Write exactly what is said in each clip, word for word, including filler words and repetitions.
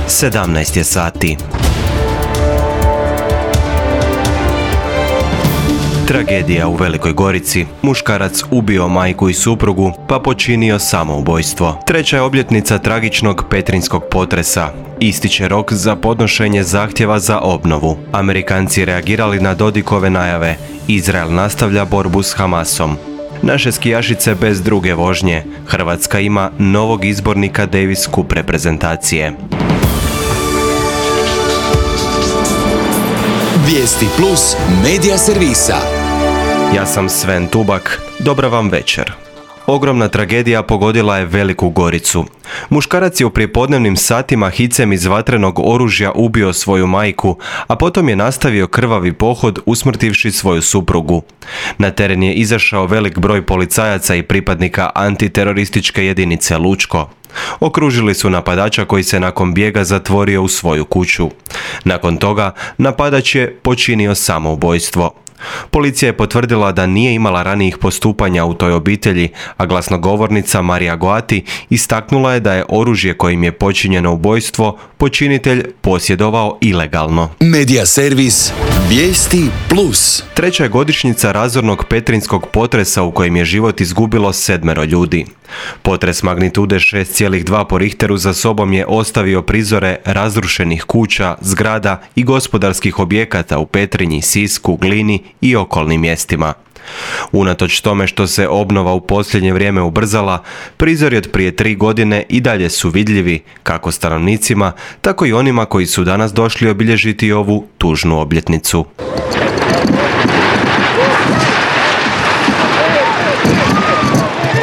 sedamnaest je sati. Tragedija u Velikoj Gorici. Muškarac ubio majku i suprugu pa počinio samoubojstvo. Treća je obljetnica tragičnog petrinjskog potresa. Ističe rok za podnošenje zahtjeva za obnovu. Amerikanci reagirali na Dodikove najave. Izrael nastavlja borbu s Hamasom. Naše skijašice bez druge vožnje. Hrvatska ima novog izbornika Davis Cup reprezentacije. Vijesti plus medija servisa. Ja sam Sven Tubak. Dobra vam večer. Ogromna tragedija pogodila je Veliku Goricu. Muškarac je u prijepodnevnim satima hicem iz vatrenog oružja ubio svoju majku, a potom je nastavio krvavi pohod usmrtivši svoju suprugu. Na teren je izašao velik broj policajaca i pripadnika antiterorističke jedinice Lučko. Okružili su napadača koji se nakon bijega zatvorio u svoju kuću. Nakon toga napadač je počinio samoubojstvo. Policija je potvrdila da nije imala ranijih postupanja u toj obitelji, a glasnogovornica Marija Goati istaknula je da je oružje kojim je počinjeno ubojstvo počinitelj posjedovao ilegalno. Medija servis Vijesti plus. Treća je godišnjica razornog petrinjskog potresa u kojem je život izgubilo sedmero ljudi. Potres magnitude šest zarez dva po Richteru za sobom je ostavio prizore razrušenih kuća, zgrada i gospodarskih objekata u Petrinji, Sisku, Glini i okolnim mjestima. Unatoč tome što se obnova u posljednje vrijeme ubrzala, prizori od prije tri godine i dalje su vidljivi kako stanovnicima, tako i onima koji su danas došli obilježiti ovu tužnu obljetnicu.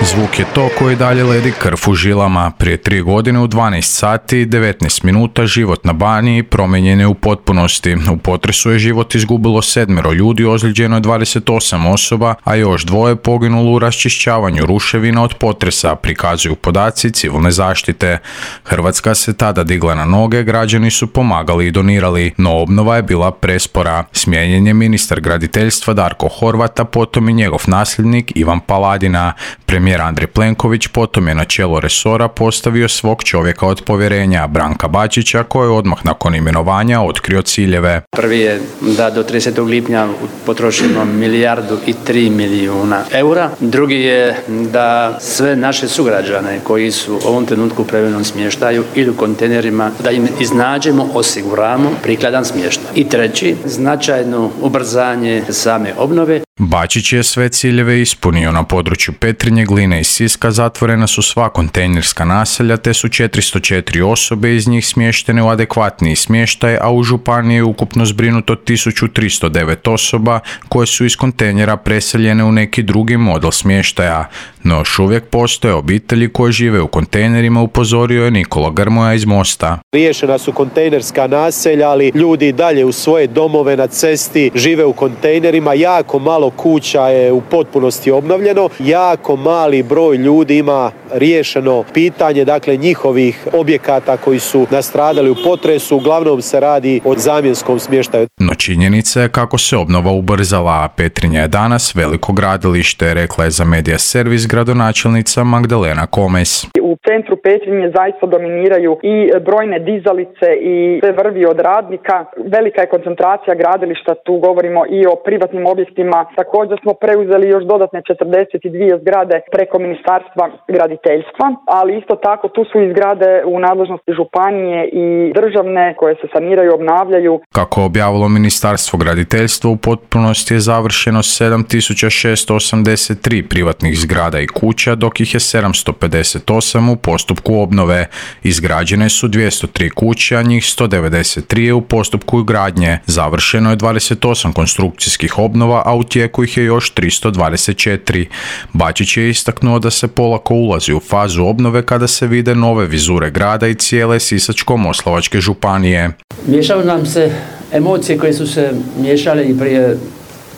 Zvuk je to koji dalje ledi krv u žilama. Prije tri godine u dvanaest sati i devetnaest minuta život na Baniji promijenjen je u potpunosti. U potresu je život izgubilo sedmero ljudi, ozlijeđeno je dvadeset osam osoba, a još dvoje poginulo u raščišćavanju ruševina od potresa, prikazuju podaci civilne zaštite. Hrvatska se tada digla na noge, građani su pomagali i donirali, no obnova je bila prespora. Smijenjen je ministar graditeljstva Darko Horvat, a potom i njegov nasljednik Ivan Paladina. Premijer Andrej Plenković potom je na čelo resora postavio svog čovjeka od povjerenja, Branka Bačića, koji je odmah nakon imenovanja otkrio ciljeve. Prvi je da do tridesetog lipnja potrošimo milijardu i tri milijuna eura. Drugi je da sve naše sugrađane koji su u ovom trenutku u privremenom smještaju ili u kontejnerima, da im iznađemo, osiguramo prikladan smještaj. I treći, značajno ubrzanje same obnove. Bačić je sve ciljeve ispunio. Na području Petrinje, Gline i Siska zatvorena su sva kontejnerska naselja, te su četiristo četiri osobe iz njih smještene u adekvatniji smještaj, a u županiji je ukupno zbrinuto tisuću tristo devet osoba koje su iz kontejnera preseljene u neki drugi model smještaja. No još uvijek postoje obitelji koje žive u kontejnerima, upozorio je Nikola Grmoja iz Mosta. Riješena su kontejnerska naselja, ali ljudi i dalje u svoje domove na cesti žive u kontejnerima. Jako malo kuća je u potpunosti obnovljeno. Jako mali broj ljudi ima riješeno pitanje, dakle, njihovih objekata koji su nastradali u potresu. Uglavnom se radi o zamjenskom smještaju. No činjenica je kako se obnova ubrzala, a Petrinja je danas veliko gradilište, rekla je za medija servis gradonačelnica Magdalena Komes. U centru Petrinje zaista dominiraju i brojne dizalice i sve vrvi od radnika. Velika je koncentracija gradilišta, tu govorimo i o privatnim objektima. Također smo preuzeli još dodatne četrdeset dvije zgrade preko Ministarstva graditeljstva, ali isto tako tu su i zgrade u nadležnosti županije i državne koje se saniraju, obnavljaju. Kako objavilo Ministarstvo graditeljstva, u potpunosti je završeno sedam tisuća šesto osamdeset tri privatnih zgrada i kuća, dok ih je sedamsto pedeset osam u postupku obnove. Izgrađene su dvjesto tri kuće, a njih sto devedeset tri je u postupku gradnje. Završeno je dvadeset osam konstrukcijskih obnova, a u tijeku ih je još tristo dvadeset četiri. Bačić je istaknuo da se polako ulazi u fazu obnove kada se vide nove vizure grada i cijele Sisačko-moslavačke županije. Miješaju nam se emocije koje su se miješale i prije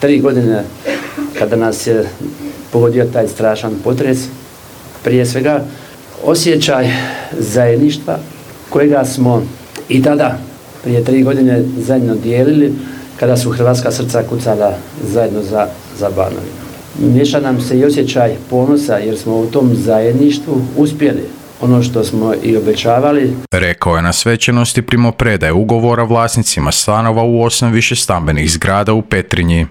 tri godine kada nas je pogodio taj strašan potres. Prije svega osjećaj zajedništva kojega smo i tada prije tri godine zajedno dijelili kada su hrvatska srca kucala zajedno za, za Banovinu. Miješa nam se i osjećaj ponosa jer smo u tom zajedništvu uspjeli ono što smo i obećavali. Rekao je na svečanosti primopredaje ugovora vlasnicima stanova u osam višestambenih zgrada u Petrinji.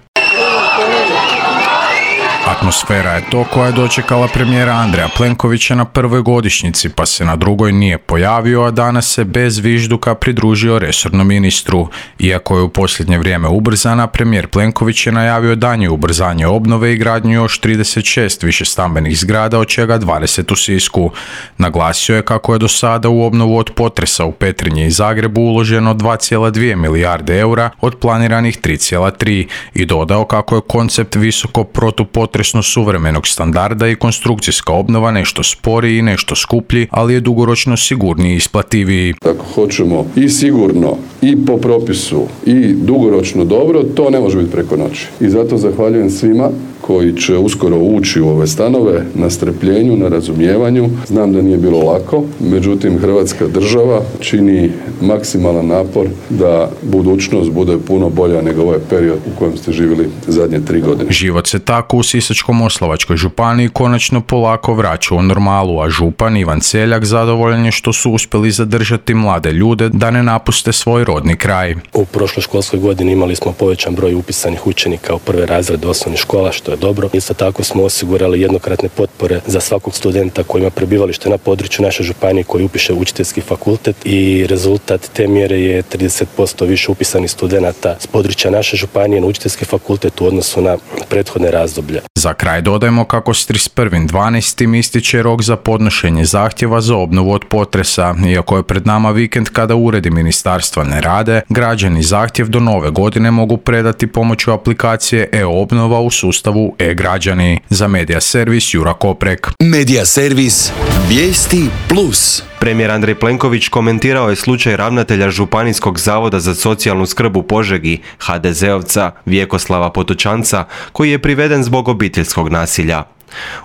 Atmosfera je to koja je dočekala premijera Andreja Plenkovića na prvoj godišnjici, pa se na drugoj nije pojavio, a danas se bez vižduka pridružio resornom ministru. Iako je u posljednje vrijeme ubrzana, premijer Plenković je najavio daljnje ubrzanje obnove i gradnju još trideset šest višestambenih zgrada, od čega dvadeset u Sisku. Naglasio je kako je do sada u obnovu od potresa u Petrinji i Zagrebu uloženo dva zarez dvije milijarde eura od planiranih tri zarez tri i dodao kako je koncept visoko protupotresnog suvremenog standarda i konstrukcijska obnova nešto sporiji i nešto skuplji, ali je dugoročno sigurniji i isplativiji. Ako hoćemo i sigurno i po propisu i dugoročno dobro, to ne može biti preko noći. I zato zahvaljujem svima koji će uskoro ući u ove stanove, na strpljenju, na razumijevanju. Znam da nije bilo lako, međutim Hrvatska država čini maksimalan napor da budućnost bude puno bolja nego ovaj period u kojem ste živjeli zadnje tri godine. Život se tako u Sisačko-moslavačkoj županiji konačno polako vraća u normalu, a župan Ivan Celjak zadovoljan je što su uspjeli zadržati mlade ljude da ne napuste svoj rodni kraj. U prošloj školskoj godini imali smo povećan broj upisanih učenika u prve razrede osnovnih škola, što je dobro. Isto tako smo osigurali jednokratne potpore za svakog studenta koji ima prebivalište na području naše županije koji upiše učiteljski fakultet i rezultat te mjere je trideset posto više upisanih studenata s područja naše županije na učiteljski fakultet u odnosu na prethodne razdoblje. Za kraj dodajemo kako s trideset prvog dvanaestog ističe rok za podnošenje zahtjeva za obnovu od potresa. Iako je pred nama vikend kada uredi ministarstva ne rade, građani zahtjev do nove godine mogu predati pomoću aplikacije e-obnova u sustavu e-građani. Za Medija servis Jura Koprek. Medija servis Vijesti plus. Premijer Andrej Plenković komentirao je slučaj ravnatelja Županijskog zavoda za socijalnu skrb u Požegi, ha de zeovca Vjekoslava Potočanca, koji je priveden zbog obiteljskog nasilja.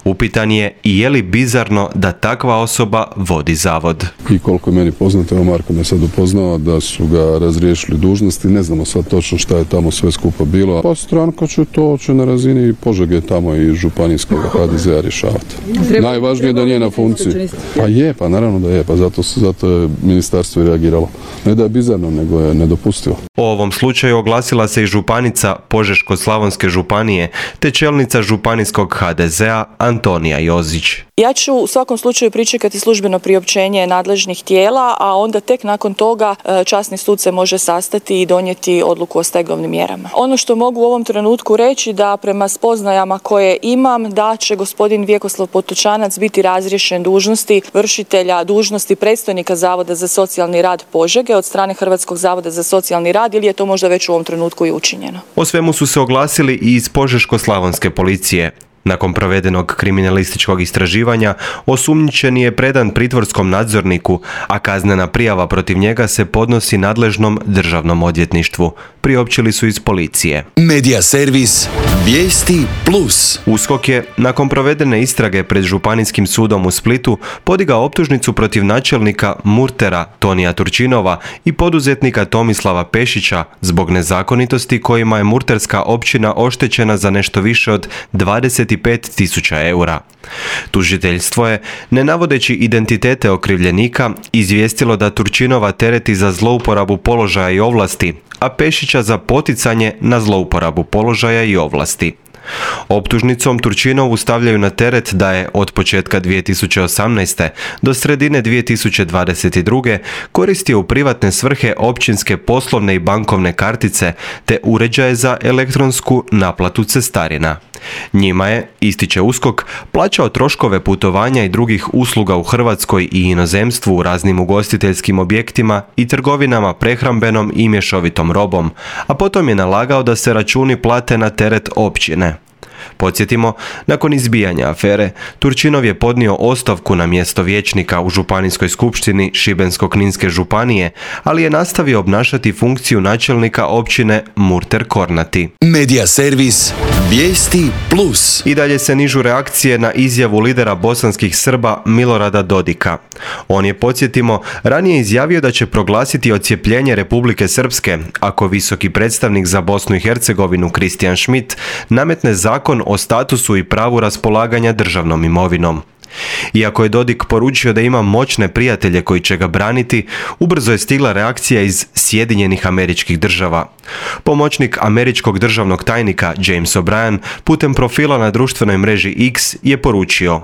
Upitan je i je li bizarno da takva osoba vodi zavod. I koliko je meni poznato, evo Marko me sad upoznao da su ga razriješili dužnosti, ne znamo sad točno šta je tamo sve skupa bilo. Pa stranka će to će na razini Požege tamo i županijskog ha de zea rješavati. Najvažnije je da nije na funkciji. Pa je, pa naravno da je, pa zato, zato je ministarstvo reagiralo. Ne da je bizarno, nego je nedopustivo. O ovom slučaju oglasila se i županica Požeško-slavonske županije te čelnica županijskog ha de zea Antonija Jozić. Ja ću u svakom slučaju pričekati službeno priopćenje nadležnih tijela, a onda tek nakon toga časni sud se može sastati i donijeti odluku o stegovnim mjerama. Ono što mogu u ovom trenutku reći da prema spoznajama koje imam da će gospodin Vjekoslav Potočanac biti razriješen dužnosti vršitelja dužnosti predstojnika Zavoda za socijalni rad Požege od strane Hrvatskog zavoda za socijalni rad ili je to možda već u ovom trenutku i učinjeno. O svemu su se oglasili i iz Požeško-slavonske policije. Nakon provedenog kriminalističkog istraživanja, osumnjičeni je predan pritvorskom nadzorniku, a kaznena prijava protiv njega se podnosi nadležnom državnom odvjetništvu, priopćili su iz policije. Medija servis Vijesti plus. USKOK je, nakon provedene istrage pred Županijskim sudom u Splitu, podigao optužnicu protiv načelnika Murtera Tonija Turčinova i poduzetnika Tomislava Pešića zbog nezakonitosti kojima je murterska općina oštećena za nešto više od dvadeset pet tisuća eura. Tužiteljstvo je, ne navodeći identitete okrivljenika, izvijestilo da Turčinova tereti za zlouporabu položaja i ovlasti, a Pešića za poticanje na zlouporabu položaja i ovlasti. Optužnicom Turčinovu stavljaju na teret da je od početka dvije tisuće osamnaeste. do sredine dvije tisuće dvadeset druge. koristio u privatne svrhe općinske poslovne i bankovne kartice te uređaje za elektronsku naplatu cestarina. Njima je, ističe USKOK, plaćao troškove putovanja i drugih usluga u Hrvatskoj i inozemstvu u raznim ugostiteljskim objektima i trgovinama prehrambenom i mješovitom robom, a potom je nalagao da se računi plate na teret općine. Podsjetimo, nakon izbijanja afere, Turčinov je podnio ostavku na mjesto vijećnika u Županijskoj skupštini Šibensko-kninske županije, ali je nastavio obnašati funkciju načelnika općine Murter Kornati. Medija servis Vijesti plus. I dalje se nižu reakcije na izjavu lidera bosanskih Srba Milorada Dodika. On je, podsjetimo, ranije izjavio da će proglasiti odcijepljenje Republike Srpske ako visoki predstavnik za Bosnu i Hercegovinu Kristijan Schmidt nametne zakon o statusu i pravu raspolaganja državnom imovinom. Iako je Dodik poručio da ima moćne prijatelje koji će ga braniti, ubrzo je stigla reakcija iz Sjedinjenih Američkih Država. Pomoćnik američkog državnog tajnika James O'Brien putem profila na društvenoj mreži X je poručio: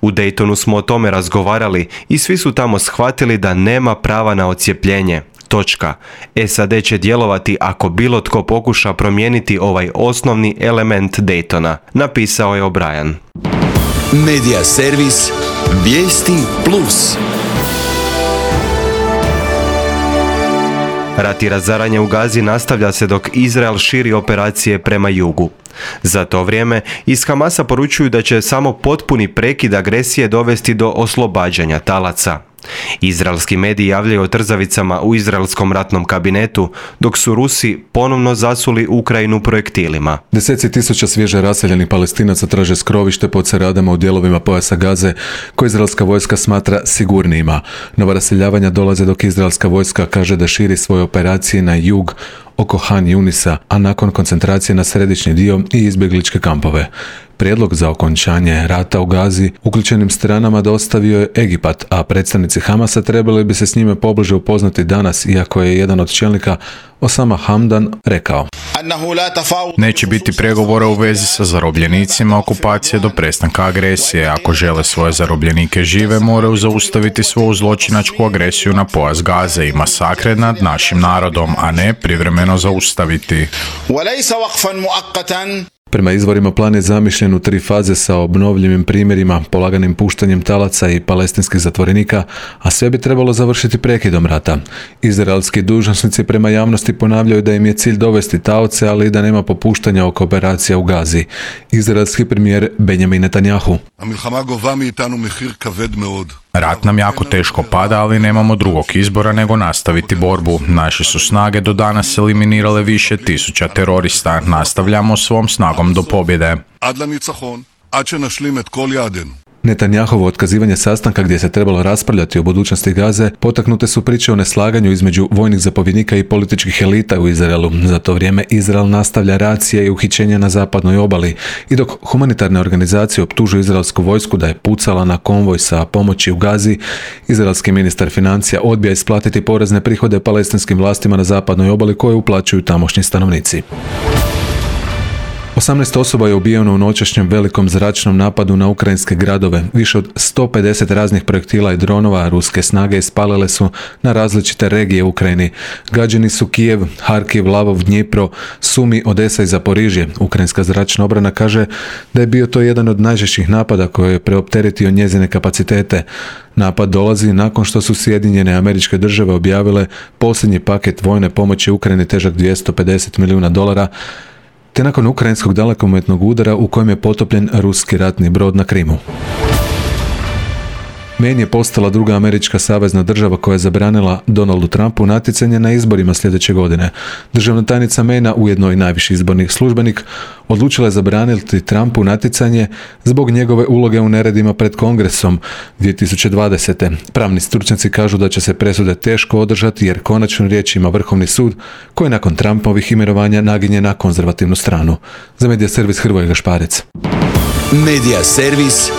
"U Daytonu smo o tome razgovarali i svi su tamo shvatili da nema prava na odcjepljenje. Točka. S A D će djelovati ako bilo tko pokuša promijeniti ovaj osnovni element Daytona", napisao je O'Brien. Medija servis Vijesti Plus. Rat i razaranje u Gazi nastavlja se dok Izrael širi operacije prema jugu. Za to vrijeme iz Hamasa poručuju da će samo potpuni prekid agresije dovesti do oslobađanja talaca. Izraelski mediji javljaju o trzavicama u izraelskom ratnom kabinetu, dok su Rusi ponovno zasuli Ukrajinu projektilima. Deseci tisuća svježe raseljenih Palestinaca traže skrovište pod Saradama u dijelovima pojasa Gaze, koje izraelska vojska smatra sigurnijima. Nova raseljavanja dolaze dok izraelska vojska kaže da širi svoje operacije na jug oko Han Junisa, a nakon koncentracije na središnji dio i izbjegličke kampove. Prijedlog za okončanje rata u Gazi uključenim stranama dostavio je Egipat, a predstavnici Hamasa trebali bi se s njime pobliže upoznati danas, iako je jedan od čelnika, Osama Hamdan, rekao: "Neće biti pregovora u vezi sa zarobljenicima okupacije do prestanka agresije. Ako žele svoje zarobljenike žive, moraju zaustaviti svoju zločinačku agresiju na pojas Gaze i masakre nad našim narodom, a ne privremeno zaustaviti." Prema izvorima plan je zamišljen u tri faze sa obnovljivim primjerima, polaganim puštanjem talaca i palestinskih zatvorenika, a sve bi trebalo završiti prekidom rata. Izraelski dužnosnici prema javnosti ponavljaju da im je cilj dovesti taoce, ali i da nema popuštanja oko operacija u Gazi. Izraelski premijer Benjamin Netanjahu: "Rat nam jako teško pada, ali nemamo drugog izbora nego nastaviti borbu. Naše su snage do danas eliminirale više tisuća terorista. Nastavljamo svom snagom do pobjede." Netanjahovo otkazivanje sastanka gdje se trebalo raspravljati o budućnosti Gaze potaknute su priče o neslaganju između vojnih zapovjednika i političkih elita u Izraelu. Za to vrijeme Izrael nastavlja racije i uhićenja na zapadnoj obali i dok humanitarne organizacije optužuju izraelsku vojsku da je pucala na konvoj sa pomoći u Gazi, izraelski ministar financija odbija isplatiti porezne prihode palestinskim vlastima na zapadnoj obali koje uplaćuju tamošnji stanovnici. osamnaest osoba je ubijeno u noćašnjem velikom zračnom napadu na ukrajinske gradove. Više od sto pedeset raznih projektila i dronova ruske snage ispalile su na različite regije u Ukrajini. Gađeni su Kijev, Harkiv, Lavov, Dnjipro, Sumi, Odesa i Zaporižje. Ukrajinska zračna obrana kaže da je bio to jedan od najžešćih napada koji je preopteretio njezine kapacitete. Napad dolazi nakon što su Sjedinjene Američke Države objavile posljednji paket vojne pomoći Ukrajini težak dvjesto pedeset milijuna dolara, te nakon ukrajinskog dalekometnog udara u kojem je potopljen ruski ratni brod na Krimu. Maine je postala druga američka savezna država koja je zabranila Donaldu Trumpu natjecanje na izborima sljedeće godine. Državna tajnica Maina, ujedno i najviši izborni službenik, odlučila je zabraniti Trumpu natjecanje zbog njegove uloge u neredima pred Kongresom dvije tisuće dvadesete. Pravni stručnjaci kažu da će se presude teško održati jer konačnu riječ ima Vrhovni sud koji nakon Trumpovih imenovanja naginje na konzervativnu stranu. Za Medija servis Hrvoje Gašparec. Medija servis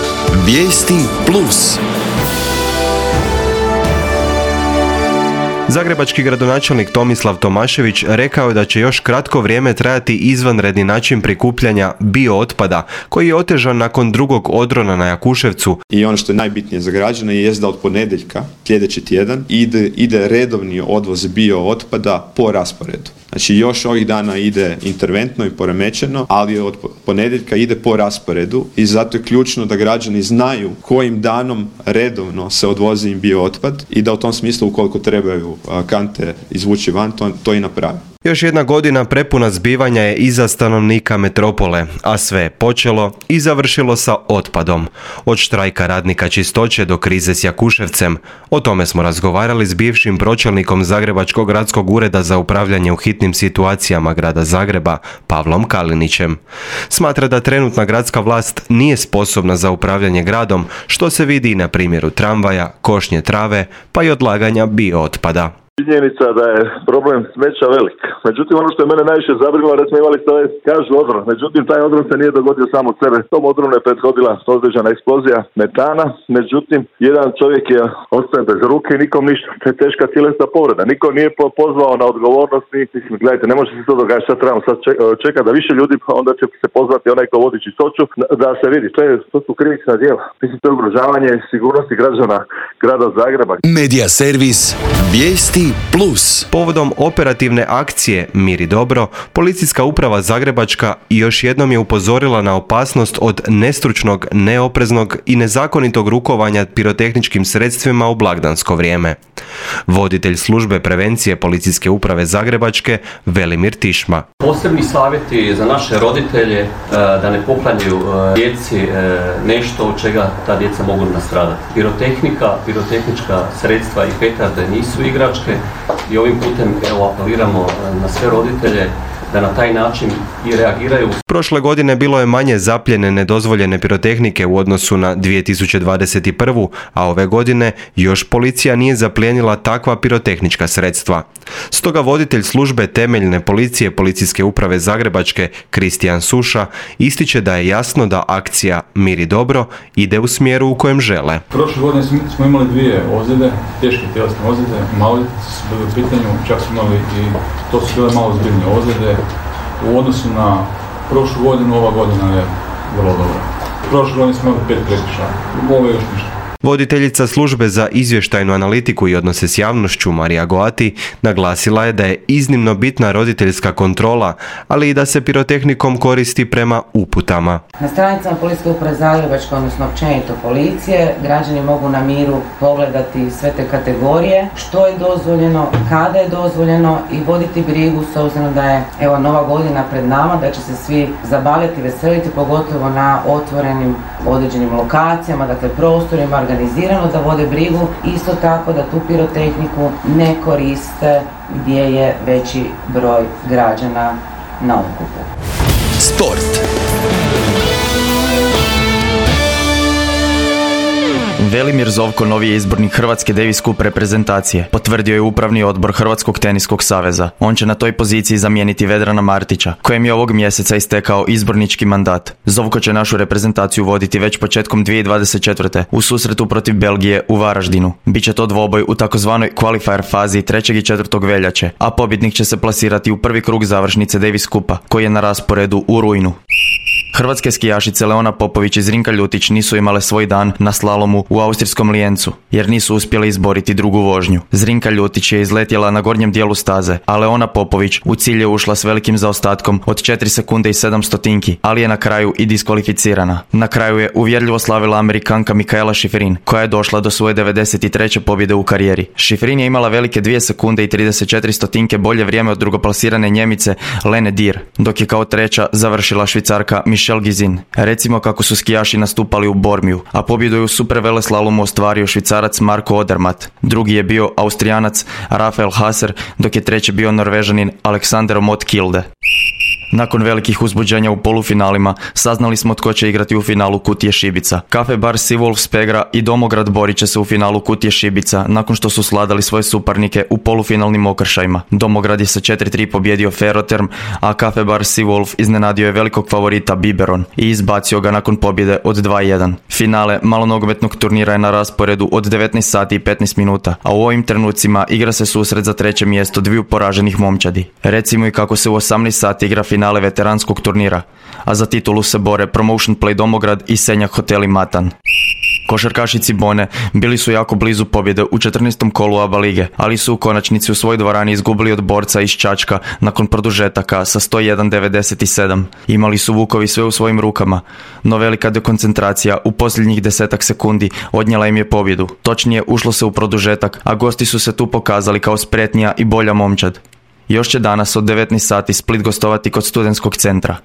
Vijesti Plus. Zagrebački gradonačelnik Tomislav Tomašević rekao je da će još kratko vrijeme trajati izvanredni način prikupljanja biootpada koji je otežan nakon drugog odrona na Jakuševcu. I ono što je najbitnije za građane je da od ponedjeljka sljedeći tjedan ide, ide redovni odvoz biootpada po rasporedu. Znači još ovih dana ide interventno i poremećeno, ali od ponedjeljka ide po rasporedu i zato je ključno da građani znaju kojim danom redovno se odvozi im biootpad i da u tom smislu ukoliko trebaju kante izvući van, to, to i napravi. Još jedna godina prepuna zbivanja je iza stanovnika metropole, a sve je počelo i završilo sa otpadom. Od štrajka radnika čistoće do krize s Jakuševcem. O tome smo razgovarali s bivšim pročelnikom Zagrebačkog gradskog ureda za upravljanje u hitnim situacijama grada Zagreba, Pavlom Kalinićem. Smatra da trenutna gradska vlast nije sposobna za upravljanje gradom, što se vidi i na primjeru tramvaja, košnje trave, pa i odlaganja biootpada. Činjenica da je problem smeća velik. Međutim, ono što je mene najviše zabrinulo, recimo imali ste ovaj, kažu odron. Međutim, taj odron se nije dogodio samo od sebe. Tom odronu je prethodila određena eksplozija metana. Međutim, jedan čovjek je ostaje bez ruke i nikom ništa. To je teška tjelesna povreda. Niko nije pozvao na odgovornost. Mislim, gledajte, ne može se to događati. Sad trebamo sad čekati da više ljudi, onda će se pozvati onaj ko vodi čistoću, da se vidi. To, je, to su krivična djela. Mislim, to je ugrožavanje sigurnosti građana grada Zagreba. Medija servis Vijesti Plus. Povodom operativne akcije Mir i dobro, Policijska uprava Zagrebačka još jednom je upozorila na opasnost od nestručnog, neopreznog i nezakonitog rukovanja pirotehničkim sredstvima u blagdansko vrijeme. Voditelj službe prevencije Policijske uprave Zagrebačke Velimir Tišma. Posebni savjeti za naše roditelje da ne poklanjaju djeci nešto od čega ta djeca mogu nastradati. Pirotehnika, pirotehnička sredstva i petarde nisu igračke i ovim putem evo, apeliramo na sve roditelje da na taj način i reagiraju. Prošle godine bilo je manje zapljene nedozvoljene pirotehnike u odnosu na dvije tisuće dvadeset prvu. a ove godine još policija nije zaplijenila takva pirotehnička sredstva. Stoga voditelj službe temeljne policije Policijske uprave Zagrebačke Kristijan Suša ističe da je jasno da akcija Mir i dobro ide u smjeru u kojem žele. Prošle godine smo imali dvije ozljede, teške tjelesne ozljede, maloljetnici su bili u pitanju, čak smo imali i to su bile malo zbiljne ozljede. U odnosu na prošlu godinu, ova godina je vrlo dobra. Prošle godine smo imali pet prekršaja, ovo je još ništa. Voditeljica službe za izvještajnu analitiku i odnose s javnošću Marija Goati naglasila je da je iznimno bitna roditeljska kontrola, ali i da se pirotehnikom koristi prema uputama. Na stranicama Policijske uprave Zagrebačke, odnosno općenito policije, građani mogu na miru pogledati sve te kategorije, što je dozvoljeno, kada je dozvoljeno i voditi brigu s obzirom da je evo nova godina pred nama, da će se svi zabaviti, veseliti, pogotovo na otvorenim određenim lokacijama, dakle prostorima, organizirano da vode brigu, isto tako da tu pirotehniku ne koriste gdje je veći broj građana na okupu. Sport. Velimir Zovko novi je izbornik Hrvatske Davis Cup reprezentacije, potvrdio je upravni odbor Hrvatskog teniskog saveza. On će na toj poziciji zamijeniti Vedrana Martića, kojem je ovog mjeseca istekao izbornički mandat. Zovko će našu reprezentaciju voditi već početkom dvije tisuće dvadeset četvrte. u susretu protiv Belgije u Varaždinu. Biće to dvoboj u takozvanoj qualifier fazi trećeg i četvrtog veljače, a pobjednik će se plasirati u prvi krug završnice Davis Cupa, koji je na rasporedu u rujnu. Hrvatske skijašice Leona Popović i Zrinka Ljutić nisu imale svoj dan na slalomu u austrijskom Lijencu, jer nisu uspjeli izboriti drugu vožnju. Zrinka Ljutić je izletjela na gornjem dijelu staze, a Leona Popović u cilj je ušla s velikim zaostatkom od četiri sekunde i sedam stotinki, ali je na kraju i diskvalificirana. Na kraju je uvjerljivo slavila Amerikanka Mikaela Šiferin, koja je došla do svoje devedeset treće pobjede u karijeri. Šiferin je imala velike dvije sekunde i trideset četiri stotinke bolje vrijeme od drugoplasirane Njemice Lene Dir, dok je kao treća završila Švicarka Michelle Gizin. Recimo kako su skijaši nastupali u Bormiju, a pobjedu je u superveleslalomu ostvario Švicarac Marko Odermatt. Drugi je bio Austrijanac Rafael Haser, dok je treći bio Norvežanin Alexander Mott Kilde. Nakon velikih uzbuđenja u polufinalima, saznali smo tko će igrati u finalu Kutije Šibica. Kafe bar Seawolf Spegra i Domograd borit će se u finalu Kutije Šibica, nakon što su sladali svoje suparnike u polufinalnim okršajima. Domograd je sa četiri tri pobjedio Ferroterm, a Kafe bar Seawolf iznenadio je velikog favorita Biberon i izbacio ga nakon pobjede od dva jedan. Finale malonogometnog turnira je na rasporedu od devetnaest sati i petnaest minuta, a u ovim trenucima igra se susret za treće mjesto dviju poraženih momčadi. Recimo i kako se u osamnaest sati igra finale veteranskog turnira, a za titulu se bore Promotion Play Domograd i Senjak Hoteli Matan. Košarkaši Cibone bili su jako blizu pobjede u četrnaestom kolu A B A lige, ali su u konačnici u svojoj dvorani izgubili od borca iz Čačka nakon produžetaka sa sto jedan devedeset sedam. Imali su Vukovi sve u svojim rukama, no velika dekoncentracija u posljednjih desetak sekundi odnijela im je pobjedu. Točnije, ušlo se u produžetak, a gosti su se tu pokazali kao spretnija i bolja momčad. Još će danas od devetnaest sati Split gostovati kod Studentskog centra.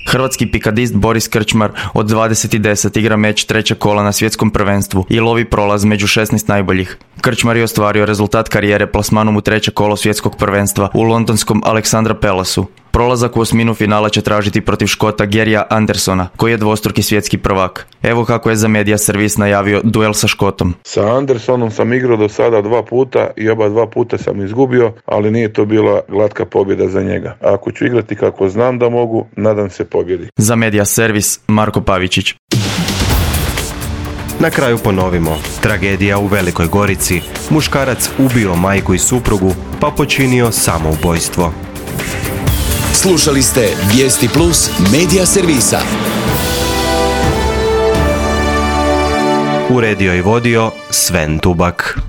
Hrvatski pikadist Boris Krčmar od dvadeset deset igra meč trećeg kola na svjetskom prvenstvu i lovi prolaz među šesnaest najboljih. Krčmar je ostvario rezultat karijere plasmanom u treće kolo svjetskog prvenstva u londonskom Aleksandra Palasu. Prolazak u osminu finala će tražiti protiv Škota Gerija Andersona, koji je dvostruki svjetski prvak. Evo kako je za Media Servis najavio duel sa Škotom. Sa Andersonom sam igrao do sada dva puta i oba dva puta sam izgubio, ali nije to bila glatka pobjeda za njega. Ako ću igrati kako znam da mogu, nadam se pobjedi. Za Media Servis, Marko Pavičić. Na kraju ponovimo. Tragedija u Velikoj Gorici. Muškarac ubio majku i suprugu, pa počinio samoubojstvo. Slušali ste Vijesti Plus Media Servisa. Uredio i vodio Sven Tubak.